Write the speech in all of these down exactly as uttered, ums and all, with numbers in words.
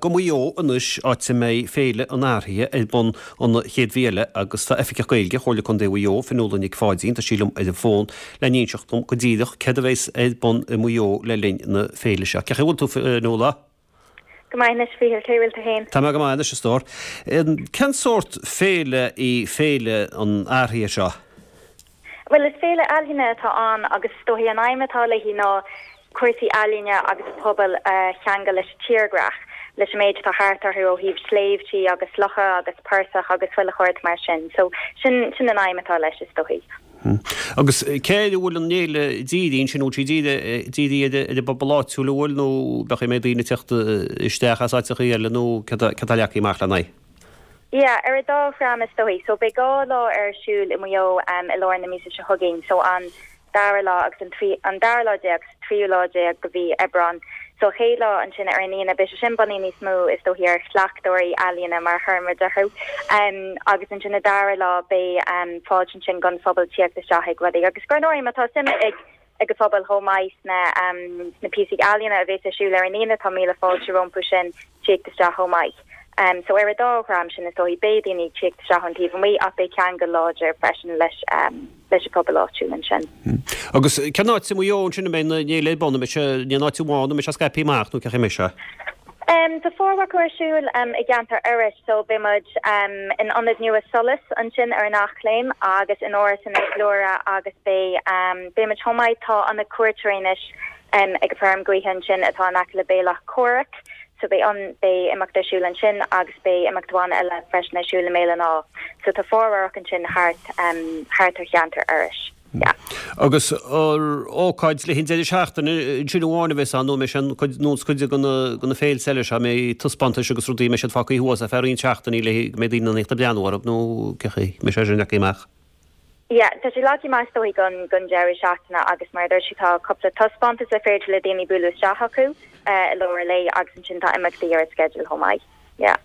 Go Maigh Eo anois, áit a mbeidh Féile an Fharthaighe ar bun an chéad mhí eile agus tá Oifigeach Gaeilge Chomhairle Contae Mhaigh Eo, Fionnuala Nic Pháidín, tá sí liom ar an bhfón le n-inseacht dom go díreach céard a bheas ar bun i Maigh Eo le linn na féile seo. Cén chaoi a bhfuil tú, Fionnuala? Go maith anois, Mhíchíl, cé bhfuil tú féin? Tá mé go maith anois, a stór. Cén sórt féile í Féile an Fharthaighe seo? Bhuel, is féile ealaíne atá ann agus is dóichí an aidhm atá léi ná cúrsaí ealaíne agus pobail a cheangal leis an tírdhreach, leis an méid atá thart orthu ó thaobh sléibhtí agus locha agus portaigh agus chuile shórt mar sin. So sin sin an aidhm atá leis is dóichí. Agus cé air a bhfuil an fhéile dírithe ansin, bhfuil sí dírithe ar an bpobal áitiúil an bhfuil nó b'fhéidir go mbeidh daoine ag teacht isteach as áiteachaí eile nó céard atá leagtha amach lena aghaidh? Yeah, ar an dá dhream is dóichí. So beidh dhá lá ar siúl i Maigh Eo um, i lár na míosa seo chugainn. So an dara lá agus an, trí, an dara lá déag tríú lá déag de mhí Aibreán. So chéad lá ansin ar an Aoine beidh sé sin bunaithe níos mó is dóichí ar chleachtóirí ealaíne mar chuir muid orthu. Um, agus ansin an dara lá beidh um, fáilte ansin don phobal tíocht isteach ag rudaí. Agus gur nóir má tá suim ag ag an phobal chomh maith sna um, na píosaí ealaíne a bheas ar siúl ar an Aoine tá míle fáilte rompu sin tíocht isteach chomh maith. Um, so ar an dá dhream sin is dóichí beidh daoine tíocht isteach ón taobh amuigh ach beidh ceangal láidir freisin leis um, leis an pobal áitiúil ansin. Agus cén áit i Maigh Eo ansin a mbeidh an fhéile ar bun, an mbeidh sé in aon áit amháin, an mbeidh sé scaipthe amach nó cén chaoi a mbeidh sé? Um, tá formhór ar siúl um, i gceantar Iorrais so beidh muid um, in ionad nua Solas ansin ar an Eachléim agus in Áras Inis Gluaire agus beidh um, beidh muid chomh maith tá ionad cuairteoirí anois um, ag an bhfeirm gaoithe ansin atá in aice le Béal Comhraic. So beidh an beidh imeacht ar siúl ansin agus beidh imeacht amháin eile freisin ar siúl i mBéal an Átha. So tá formhór ansin thart um, thart ar cheantar Iorrais. Yeah. Agus ócáid le haghaidh deireadh seachtaine sin amháin a bheas ann nó mbeidh sin nós cuid de na féilte eile seo mbeidh taispeántais agus rudaí mbeidh siad fágtha thuas ar feadh roinnt seachtainí le go mbeidh daoine ag breathnú orthu nó cén chaoi a mbeidh sé sin leagtha amach. Yeah, tá sé leagtha amach dóigh gon gon deireadh seachtaine agus mar dúirt sé tá cúpla taispeántas le féidir le daoine bualadh isteach acu uh, i lár an lae agus ansin tá imeachtaí ar an schedule chomh maith. Yeah.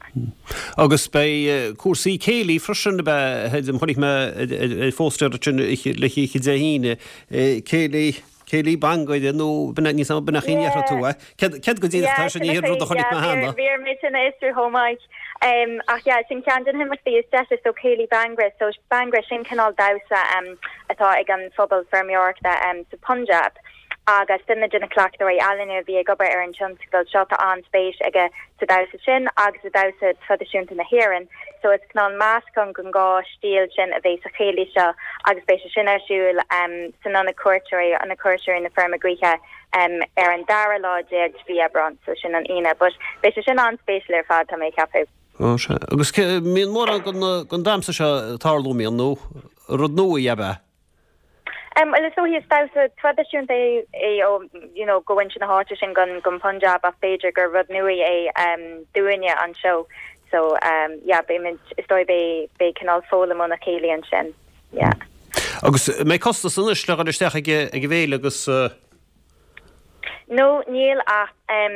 Agus beidh cúrsaí céilí freisin be chonaic mé ar phóstaer sin le hOíche Dé hAoine céilí céilí bhangra nó níos b'in chéad tú Céard go dtí sin ní rud a chonaic mé cheana. Bhí mé sin isú chomáid. Um, ach yeah, sin ceann de na himeachtaí is deise so céilí Bhangra, so Bhangra sin cineál damhsa um, atá ag an phobal feirmeoireachta um, sa Punjab. Agus duine de na cleachtóirí ealaíne a bhí ag obair ar an tionscadal seo tá an-spéis aige sa damhsa sin agus sa damhsa traidisiúnta na hÉireann, so is cineál meascán den dhá stíl sin a bheidh sa chéilí seo agus beidh sé sin ar siúl um, san ionad cuairteoirí ionad cuairteoirí na feirme gaoithe um, ar an dara lá déag de mhí Aibreán, so sin an Aoine, but beidh sé sin an-spéisiúil ar fad tá mé ag ceapadh. Ó sé agus mbíonn mórán den damhsa seo ag tarlú mbíonn nó rud nua é ab ea. Um, well is dóichí is damhsa traidisiúnta é é ó you know go sin na háite sin gon gon Punjab ach b'fhéidir gur rud nua é um, dúinne anseo so um, yeah, beidh is dóigh beidh beidh cineál foghlaim óna chéile ansin yeah. Agus mbeidh costas anois le isteach ag ag an bhféile agus uh... No níl ach um,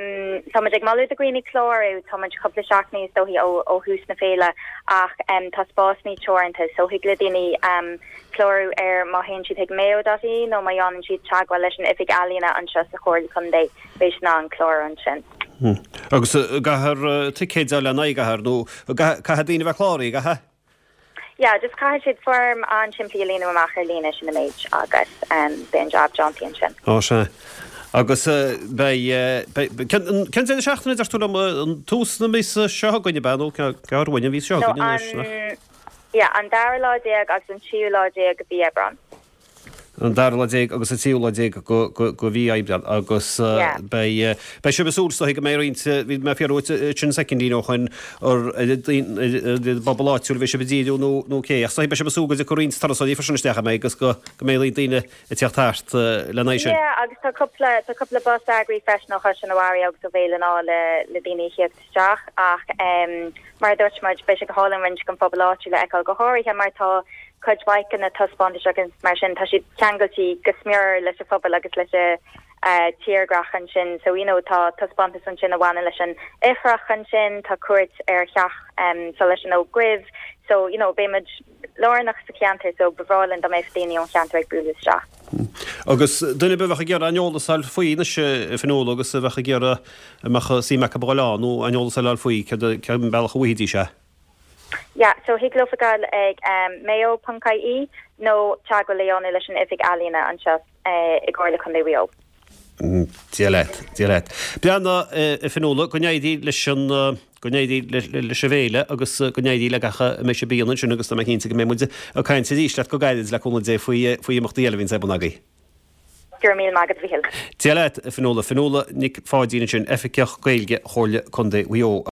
tá ag moladh do dhaoine clárú tá cúpla seachtain is dóichí ó ó thús na féile ach um, tá spásanna teoranta so thig le daoine um, clárú ar má théann siad ag mayo.ie nó má dhéanann siad teagmháil leis an oifig ealaíne anseo sa Chomhairle Contae beidh siad in ann clárú ansin. Hmm. Agus caithfear ticéid le na gahar nó caithfidh daoine bheith cláraithe gcaithfidh? Yeah, just caithfidh siad foirm an-simplí a líonadh amach ar líne sin an méid agus um, beidh an job déanta ansin. Ó sé. Agus beidh cén deireadh seachtaine deir tú liom an tús na míosa seo chugainn ab ea nó ceár bhain bhí seo an Yeah, an dara lá déag agus an tríú lá déag de mhí Aibreán. An dara lá déag agus an tríú lá déag de mhí Aibreán agus beidh beidh sibh ag súil go mbeidh roinnt bhí mé fiú sin soicindín ó shin ar bpobal áitiúil bhí sibh ag díriú nó nó cé ach beidh sibh ag súil go dtiocfaidh roinnt turasóirí freisin isteach mé agus go go mbeidh daoine ag teacht thart lena sin. Yeah, agus tá cúpla tá cúpla bus eagraithe freisin ó Chaisleán an Bharraigh agus ó Bhéal an Átha le le daoine a theacht isteach ach um, mar dúirt muid beidh sé go hálainn roinnt den phobal áitiúil le feiceáil go háirithe mar tá cuid mhaith de na taispeántais agus mar sin tá siad ceangailte go smior leis an phobal agus leis an uh, tírdhreach ansin so you know tá taispeántas ansin a bhaineann leis an ithreach ansin tá cuairt ar theach um, so leis an Ó Dhuibh so you know beimid lárnach sa cheantar so ba bhreá linn dá mbeadh daoine ón cheantar ag bualadh isteach. Agus duine a bheadh ag iarraidh aon eolas a fháil faoi anois a Fionnuala agus a bheadh ag iarraidh a mbeadh suim acu a dhul ann nó aon eolas a fháil faoi cén bealach a bhfaighidís é? Yeah, so thig leo gabháil ag um, mayo.ie nó teagmháil a dhéanamh leis an Oifig Ealaíona anseo uh, i gComhairle Contae Mhaigh Eo. Dia leat, Dia leat. Beanna a Fionnuala go n-éirí leis an go n-éirí leis an bhféile agus go n-éirí le gach a mbeidh sibh ansin agus tá mé cinnte go mbeidh muid ag caint arís leat go gairid le cúnamh Dé faoi faoi imeachtaí eile a bhíonn ar bun agaibh. Go raibh míle maith agat a Mhichíl. Dia leat a Fionnuala Fionnuala Nic Pháidín ansin Oifigeach Gaeilge Chomhairle Contae Mhaigh Eo.